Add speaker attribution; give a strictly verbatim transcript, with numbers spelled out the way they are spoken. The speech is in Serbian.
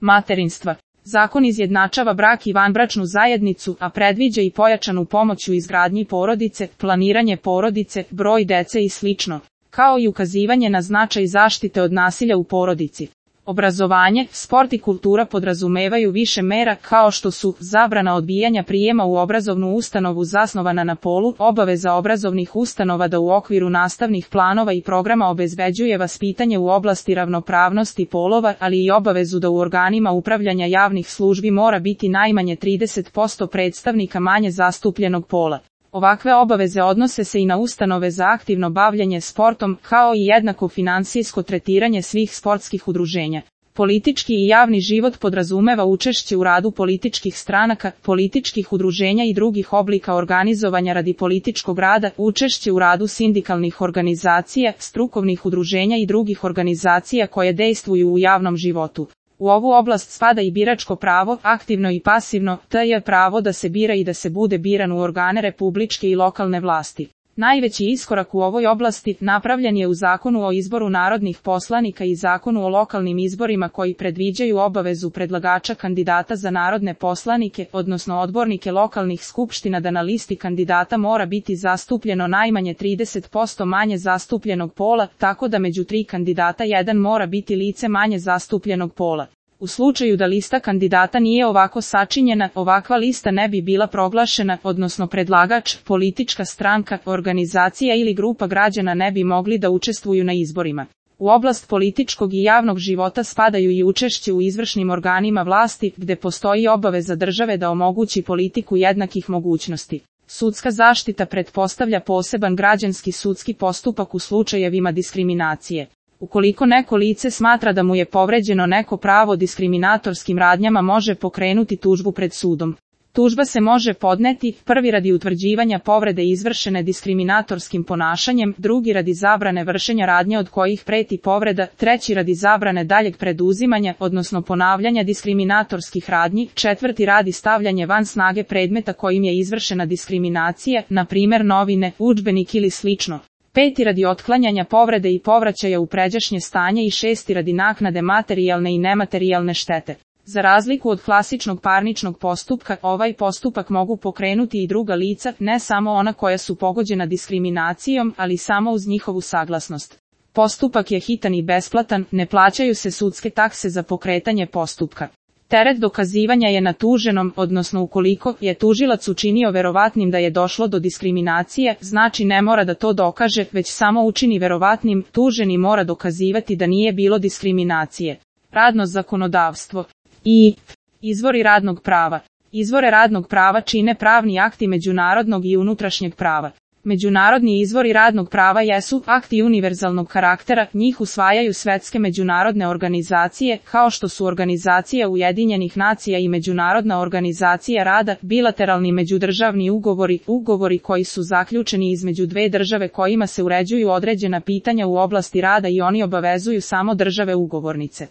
Speaker 1: materinstva. Zakon izjednačava brak i vanbračnu zajednicu, a predviđa i pojačanu pomoć u izgradnji porodice, planiranje porodice, broj dece i slično, kao i ukazivanje na značaj zaštite od nasilja u porodici. Obrazovanje, sport i kultura podrazumevaju više mera kao što su zabrana odbijanja prijema u obrazovnu ustanovu zasnovana na polu, obaveza obrazovnih ustanova da u okviru nastavnih planova i programa obezbeđuje vaspitanje u oblasti ravnopravnosti polova, ali i obavezu da u organima upravljanja javnih službi mora biti najmanje trideset posto predstavnika manje zastupljenog pola. Ovakve obaveze odnose se i na ustanove za aktivno bavljanje sportom, kao i jednako finansijsko tretiranje svih sportskih udruženja. Politički i javni život podrazumeva učešće u radu političkih stranaka, političkih udruženja i drugih oblika organizovanja radi političkog rada, učešće u radu sindikalnih organizacija, strukovnih udruženja i drugih organizacija koje dejstvuju u javnom životu. U ovu oblast spada i biračko pravo, aktivno i pasivno, te je pravo da se bira i da se bude biran u organe republičke i lokalne vlasti. Najveći iskorak u ovoj oblasti napravljen je u Zakonu o izboru narodnih poslanika i Zakonu o lokalnim izborima koji predviđaju obavezu predlagača kandidata za narodne poslanike, odnosno odbornike lokalnih skupština da na listi kandidata mora biti zastupljeno najmanje trideset posto manje zastupljenog pola, tako da među tri kandidata jedan mora biti lice manje zastupljenog pola. U slučaju da lista kandidata nije ovako sačinjena, ovakva lista ne bi bila proglašena, odnosno predlagač, politička stranka, organizacija ili grupa građana ne bi mogli da učestvuju na izborima. U oblast političkog i javnog života spadaju i učešće u izvršnim organima vlasti, gde postoji obaveza države da omogući politiku jednakih mogućnosti. Sudska zaštita pretpostavlja poseban građanski sudski postupak u slučajevima diskriminacije. Ukoliko neko lice smatra da mu je povređeno neko pravo diskriminatorskim radnjama, može pokrenuti tužbu pred sudom. Tužba se može podneti, prvi radi utvrđivanja povrede izvršene diskriminatorskim ponašanjem, drugi radi zabrane vršenja radnje od kojih preti povreda, treći radi zabrane daljeg preduzimanja, odnosno ponavljanja diskriminatorskih radnji, četvrti radi stavljanje van snage predmeta kojim je izvršena diskriminacija, na primjer novine, udžbenik ili slično. Peti radi otklanjanja povrede i povraćaja u pređašnje stanje i šesti radi naknade materijalne i nematerijalne štete. Za razliku od klasičnog parničnog postupka, ovaj postupak mogu pokrenuti i druga lica, ne samo ona koja su pogođena diskriminacijom, ali samo uz njihovu saglasnost. Postupak je hitan i besplatan, ne plaćaju se sudske takse za pokretanje postupka. Teret dokazivanja je na tuženom, odnosno ukoliko je tužilac učinio verovatnim da je došlo do diskriminacije, znači ne mora da to dokaže, već samo učini verovatnim, tuženi mora dokazivati da nije bilo diskriminacije. Radno zakonodavstvo i izvori radnog prava. Izvore radnog prava čine pravni akti međunarodnog i unutrašnjeg prava. Međunarodni izvori radnog prava jesu akti univerzalnog karaktera, njih usvajaju svetske međunarodne organizacije, kao što su Organizacija Ujedinjenih nacija i Međunarodna organizacija rada, bilateralni međudržavni ugovori, ugovori koji su zaključeni između dve države kojima se uređuju određena pitanja u oblasti rada i oni obavezuju samo države ugovornice.